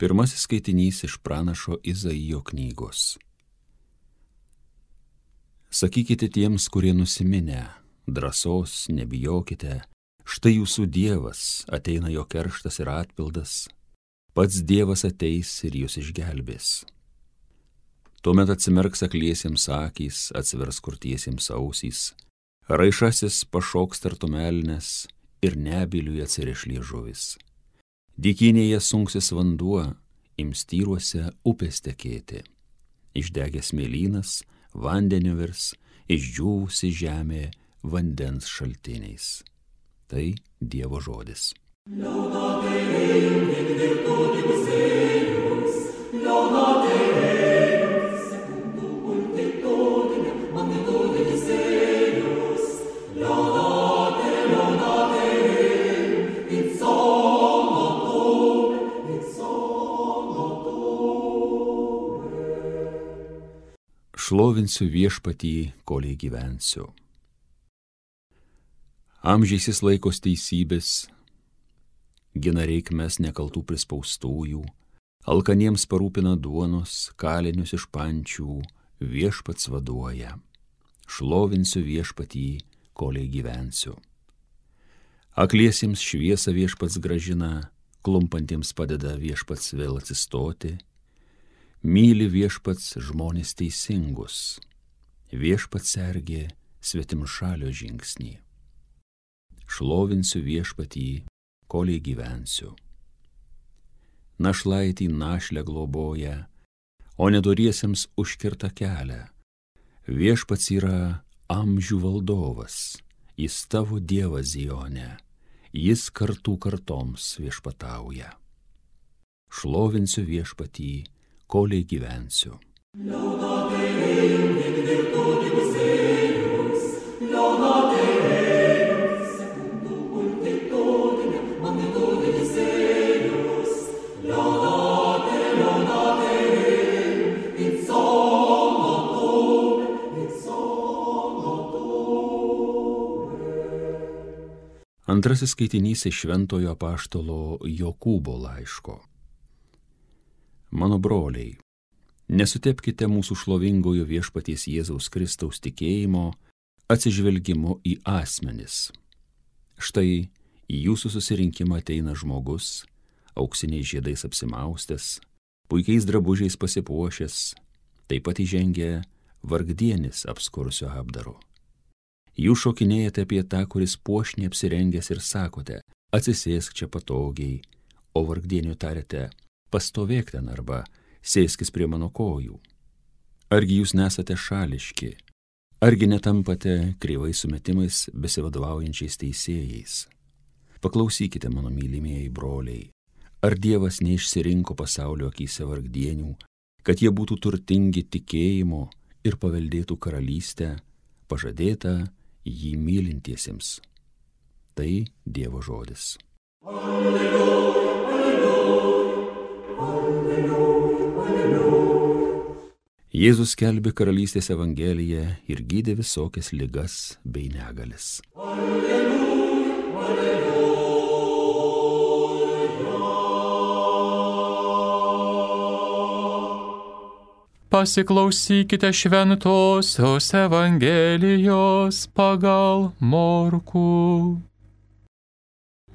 Pirmasis skaitinys iš pranašo Izaijo knygos. Sakykite tiems, kurie nusiminę, drąsos nebijokite, štai jūsų Dievas, ateina jo kerštas ir atpildas, pats Dievas ateis ir jūs išgelbės. Tuomet atsimerks akliesiems akys, atsivers kurtiesiems ausys, raišasis pašoks tartum elnias ir nebyliui atsiriš liežuvis. Dykynėje sunksis vanduo, ims tyruose upės tekėti. Išdegęs mėlynas vandeniu virs, išdžiūvusi žemė vandens šaltiniais. Tai Dievo žodis. Šlovinsiu viešpatį, koliai gyvensiu. Amžiais jis laikos teisybės, gina reikmes nekaltų prispaustųjų, alkaniems parūpina duonos, kalinius iš pančių, viešpats vaduoja. Šlovinsiu viešpatį, koliai gyvensiu. Akliesiems šviesą viešpats grąžina, klumpantiems padeda viešpats vėl atsistoti. Myli viešpats žmonės teisingus, viešpats sergė svetimšalio žingsnį. Šlovinsiu viešpatį, koliai gyvensiu. Našlaitį našlę globoja, o nedoriesiems užkirta kelią. Viešpats yra amžių valdovas, jis tavo Dievas Zione, jis kartų kartoms viešpatauja. Šlovinsiu viešpatį, koliai gyvensiu. Antrasis skaitinys iš šventojo apaštalo Jokūbo laiško. Mano broliai, nesutepkite mūsų šlovingojo viešpaties Jėzaus Kristaus tikėjimo atsižvelgimu į asmenis. Štai į jūsų susirinkimą ateina žmogus, auksiniais žiedais apsimaustęs, puikiais drabužiais pasipuošęs, taip pat įžengia vargdienis apskursio apdaru. Jūs šokinėjate apie tą, kuris puošniai apsirengęs ir sakote, atsisėsk čia patogiai, o vargdieniu tarėte, pastovėk ten arba sėskis prie mano kojų. Argi jūs nesate šališki, argi netampate kreivais sumetimais besivadovaujančiais teisėjais? Paklausykite, mano mylimieji broliai, ar Dievas neišsirinko pasaulio akyse vargdienių, kad jie būtų turtingi tikėjimo ir paveldėtų karalystę, pažadėtą jį mylintiesiems. Tai Dievo žodis. Alleluja, alleluja, alleluja. Jėzus skelbė karalystės evangeliją ir gydė visokias ligas bei negalias. Alleluja, alleluja. Pasiklausykite šventosios evangelijos pagal Morkų.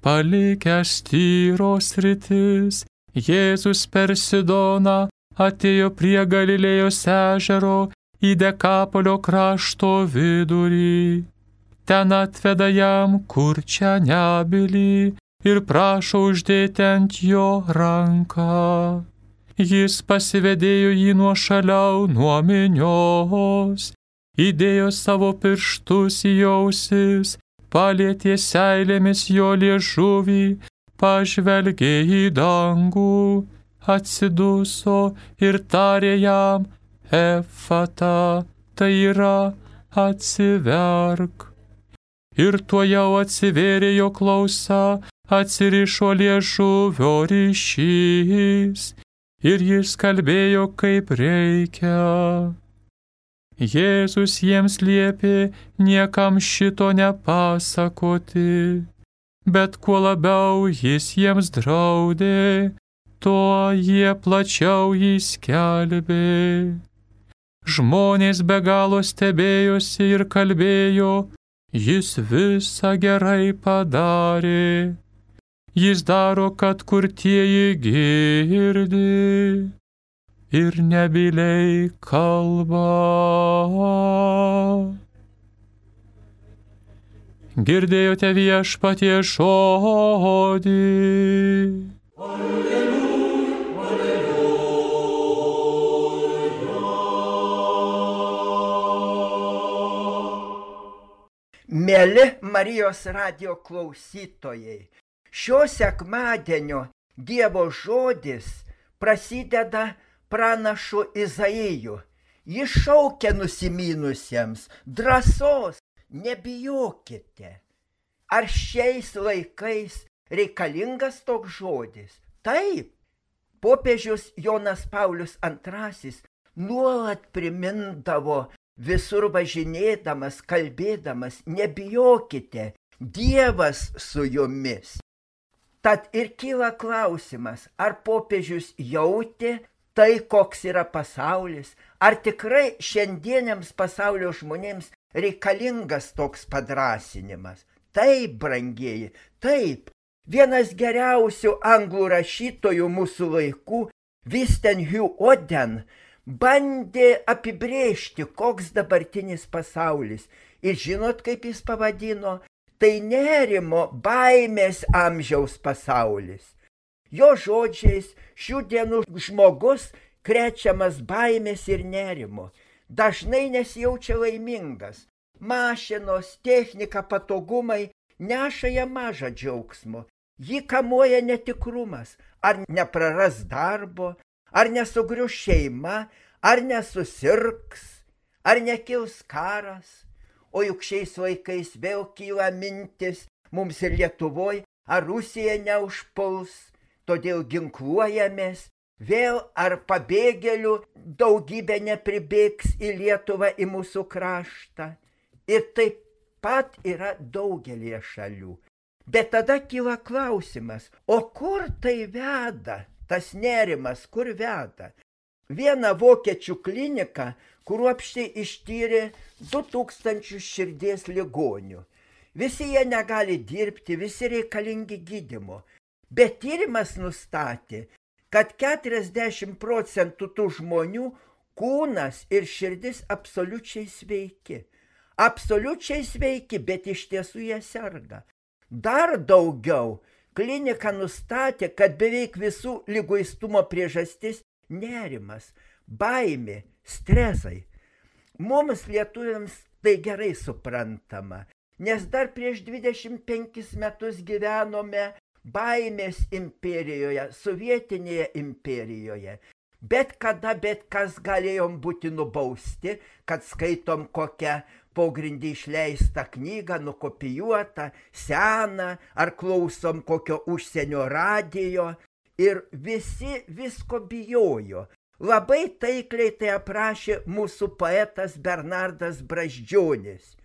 Palikęs Tyros sritis, Jėzus per Sidoną atėjo prie Galilėjos ežero į Dekapolio krašto vidurį. Ten atveda jam kurčią nebylį ir prašo uždėti ant jo ranką. Jis pasivedėjo jį nuošaliau nuo minios, įdėjo savo pirštus į ausis, palietė seilėmis jo liežuvį, pažvelgė į dangų, atsiduso ir tarė jam Efata, tai yra atsiverk. Ir tuojau atsivėrė jo klausa, atsirišo liežuvio ryšys. Ir jis kalbėjo kaip reikia. Jėzus jiems liepė niekam šito nepasakoti, bet kuo labiau jis jiems draudė, tuo jie plačiau jį skelbė. Žmonės be galo stebėjosi ir kalbėjo, jis visą gerai padarė. Jis daro, kad kurtieji girdi ir nebyliai kalba. Girdėjote Viešpatie žodį. Mieli Marijos radijo klausytojai, šio sekmadienio Dievo žodis prasideda pranašu Izaiju. Jis šaukia nusiminusiems drąsos, nebijokite. Ar šiais laikais reikalingas toks žodis? Taip. Popiežius Jonas Paulius II nuolat primindavo, visur važinėdamas, kalbėdamas, nebijokite, Dievas su jumis. Tad ir kyla klausimas, ar popiežius jautė tai, koks yra pasaulis, ar tikrai šiandieniams pasaulio žmonėms reikalingas toks padrąsinimas. Taip, brangieji, taip. Vienas geriausių anglų rašytojų mūsų laikų, Winston Hugh Oden, bandė apibrėžti, koks dabartinis pasaulis. Ir žinot, kaip jis pavadino? Tai nerimo, baimės amžiaus pasaulis. Jo žodžiais, šių dienų žmogus krečiamas baimės ir nerimo. Dažnai nesijaučia laimingas. Mašinos, technika, patogumai neša jam mažą džiaugsmo. Jį kamuoja netikrumas. Ar nepraras darbo, ar nesugrius šeima, ar nesusirgs, ar nekils karas. O juk šiais laikais vėl kyla mintis mums ir Lietuvoje, ar Rusija neužpuls, todėl ginkluojamės. Vėl ar pabėgėlių daugybė nepribėgs į Lietuvą, į mūsų kraštą. Ir taip pat yra daugelį šalių. Bet tada kyla klausimas, o kur tai veda? Tas nerimas, kur veda? Viena vokiečių klinika kruopščiai ištyrė 2000 širdies ligonių. Visi jie negali dirbti, visi reikalingi gydymo. Bet tyrimas nustatė, kad 40% tų žmonių kūnas ir širdis absoliučiai sveiki. Absoliučiai sveiki, bet iš tiesų jie serga. Dar daugiau, klinika nustatė, kad beveik visų liguistumo priežastis nerimas, baimė, stresai. Mums lietuviams tai gerai suprantama, nes dar prieš 25 metus gyvenome baimės imperijoje, sovietinėje imperijoje. Bet kada, bet kas galėjom būti nubausti, kad skaitom kokią pogrindį išleistą knygą, nukopijuotą, seną, ar klausom kokio užsienio radijo. Ir visi visko bijojo. Labai taikliai tai aprašė mūsų poetas Bernardas Brazdžionis.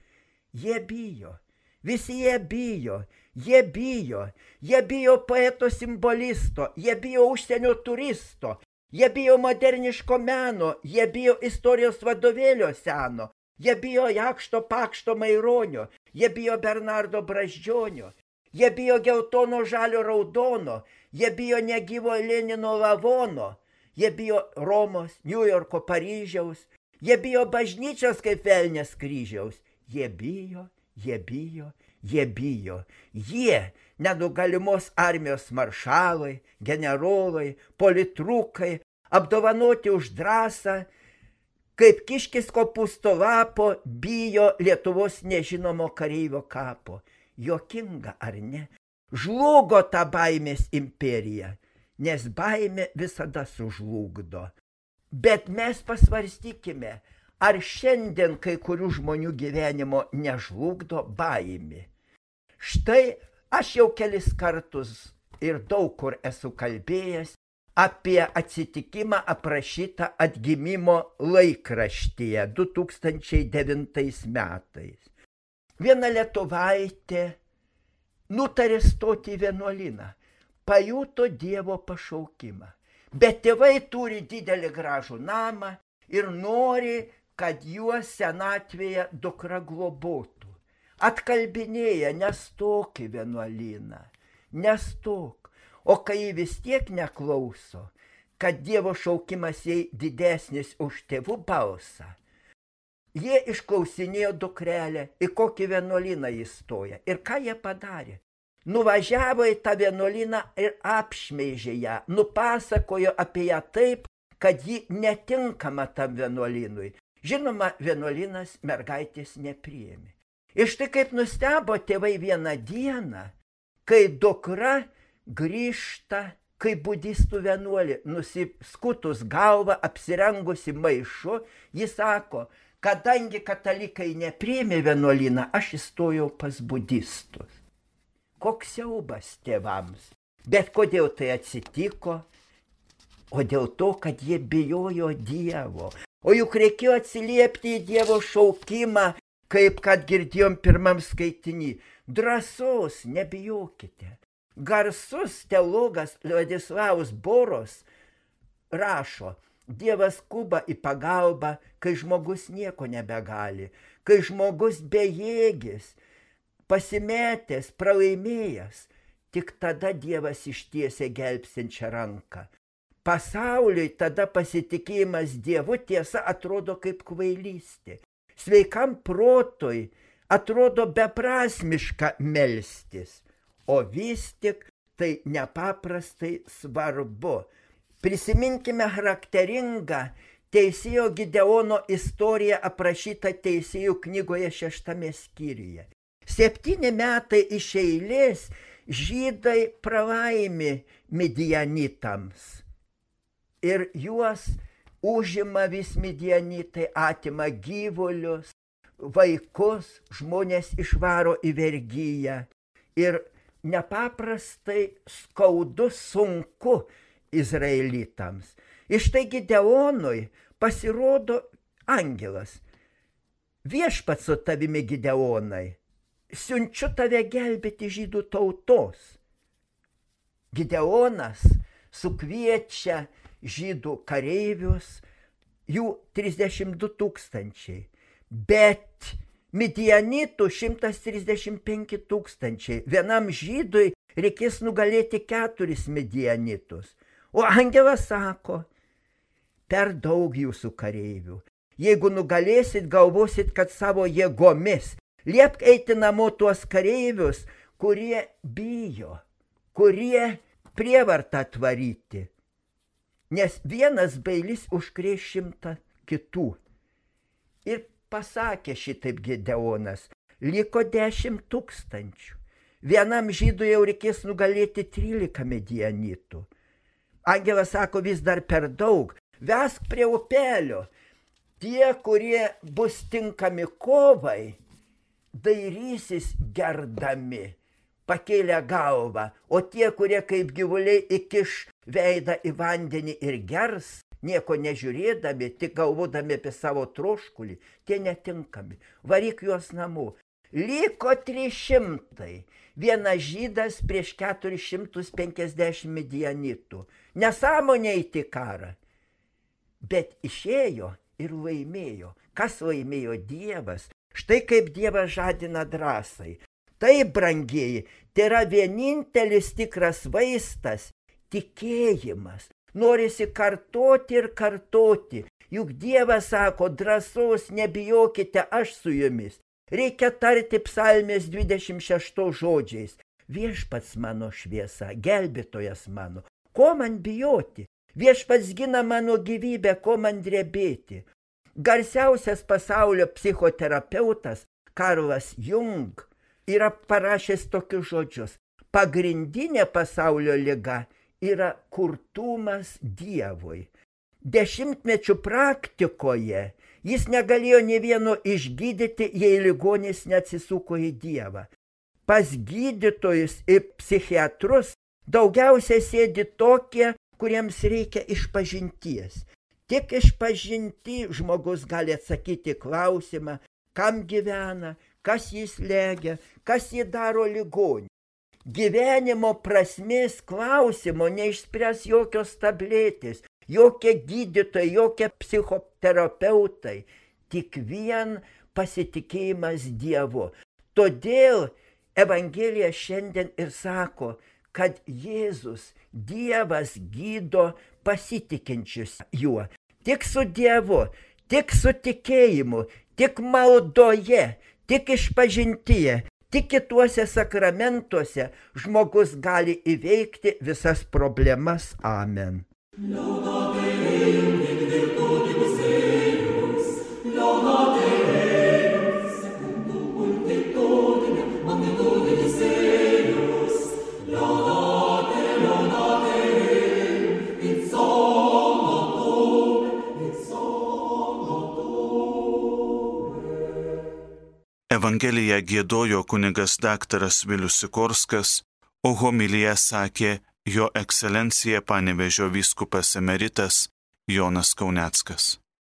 Jie bijo. Visi jie bijo. Jie bijo. Jie bijo poeto simbolisto. Jie bijo užsienio turisto. Jie bijo moderniško meno. Jie bijo istorijos vadovėlio seno. Jie bijo Jakšto Pakšto Maironio. Jie bijo Bernardo Brazdžionio. Jie bijo geltono žalio raudono. Jie bijo negyvo Lenino lavono. Jie bijo Romos, Niujorko, Paryžiaus. Jie bijo bažnyčios kaip velnės kryžiaus. Jie bijo, jie bijo, jie bijo. Jie, nenugalimos armijos maršalai, generolai, politrukai, apdovanoti už drąsą, kaip kiškis kopūsto lapo, bijo Lietuvos nežinomo kareivio kapo. Juokinga, ar ne? Žlugo ta baimės imperija, nes baimė visada sužlugdo. Bet mes pasvarstykime, ar šiandien kai kurių žmonių gyvenimo nežlugdo baimė. Štai aš jau kelis kartus ir daug kur esu kalbėjęs apie atsitikimą aprašytą Atgimimo laikraštyje 2009 metais. Viena lietuvaitė nutarė stoti į vienuolyną. pajuto Dievo pašaukimą. Bet tėvai turi didelį gražų namą ir nori, kad juos senatvėje dukra globotų. Atkalbinėja, nestok į vienuolyną, nestok. O kai ji vis tiek neklauso, kad Dievo šaukimas jai didesnis už tėvų balsą, jie išklausinėjo dukrelę, į kokį vienuolyną įstoja. Ir ką jie padarė? Nuvažiavo į tą vienuolyną ir apšmeižė ją, nupasakojo apie ją taip, kad ji netinkama tam vienuolynui. Žinoma, vienuolynas mergaitės nepriėmė. Ir štai kaip nustebo tėvai vieną dieną, kai dukra grįžta kaip budistų vienuolė, nusiskutus galvą, apsirengusi maišu, jis sako, kadangi katalikai nepriėmė vienuolyną, aš įstojau pas budistus. Koks siaubas tėvams. Bet kodėl tai atsitiko? O dėl to, kad jie bijojo Dievo. O juk reikėjo atsiliepti į Dievo šaukimą, kaip kad girdėjom pirmam skaitinį. Drąsos, nebijokite. Garsus teologas Vladislavas Boros rašo, Dievas skuba į pagalbą, kai žmogus nieko nebegali, kai žmogus bejėgis, pasimetęs, pralaimėjęs, tik tada Dievas ištiesia gelbstinčią ranką. Pasauliui tada pasitikėjimas Dievu tiesa atrodo kaip kvailystė. Sveikam protui atrodo beprasmiška melstis, o vis tik tai nepaprastai svarbu. Prisiminkime charakteringą teisėjo Gideono istoriją aprašytą teisėjų knygoje 6 skyriuje. 7 metai iš eilės žydai pralaimi midianitams ir juos užima vis midianitai, atima gyvulius, vaikus, žmonės išvaro į vergiją ir nepaprastai skaudu, sunku izraelitams. Ir štai Gideonui pasirodo angelas. Viešpats su tavimi, Gideonai, siunčiu tave gelbėti žydų tautos. Gideonas sukviečia žydų kareivius, jų 32 000, bet midianitų 135 000. Vienam žydui reikės nugalėti 4 midianitus. O angelas sako, per daug jūsų kareivių. Jeigu nugalėsit, galvosit, kad savo jėgomis. Liepk eiti namo tuos kareivius, kurie bijo, kurie prievartą tvaryti. Nes vienas bailis užkrės 100 kitų. Ir pasakė šitaip Gideonas, liko 10 000. Vienam žydui jau reikės nugalėti 13 midianitų. Angelas sako, vis dar per daug, vesk prie upelio. Tie, kurie bus tinkami kovai, dairysis gerdami, pakėlę galvą, o tie, kurie kaip gyvuliai įkiš veidą į vandenį ir gers, nieko nežiūrėdami, tik galvodami apie savo troškulį, tie netinkami. Varyk juos namo. Liko 300. Vienas žydas prieš 450 midianitų. Nesąmonė eiti karą. Bet išėjo ir laimėjo. Kas laimėjo? Dievas. Štai kaip Dievas žadina drąsai. Taip, brangieji, tai yra vienintelis tikras vaistas – tikėjimas. Norisi kartoti ir kartoti. Juk Dievas sako, drąsos nebijokite, aš su jumis. Reikia tarti psalmės 26 žodžiais. Viešpats mano šviesa, gelbėtojas mano. Ko man bijoti? Viešpats gina mano gyvybę, ko man drebėti. Garsiausias pasaulio psichoterapeutas Karlas Jung yra parašęs tokius žodžius. Pagrindinė pasaulio liga yra kurtumas Dievui. 10 praktikoje jis negalėjo nė vieno išgydyti, jei ligonis neatsisuko į Dievą. Pas gydytojus ir psichiatrus daugiausiai sėdi tokie, kuriems reikia išpažinties. Tik išpažinti žmogus gali atsakyti klausimą, kam gyvena, kas jis legia, kas jį daro ligonį. gyvenimo prasmės klausimo neišspręs jokios tabletės, jokie gydytojai, jokie psichoterapeutai, tik vien pasitikėjimas Dievu. Todėl Evangelija šiandien ir sako, kad Jėzus, Dievas gydo pasitikinčius juo. Tik su Dievu, tik su tikėjimu, tik maldoje, tik išpažintyje, tik kituose sakramentuose žmogus gali įveikti visas problemas. Amen. Evangeliją giedojo kunigas daktaras Vilius Sikorskas, o homiliją sakė jo ekscelencija Panevėžio vyskupas emeritas Jonas Kauneckas.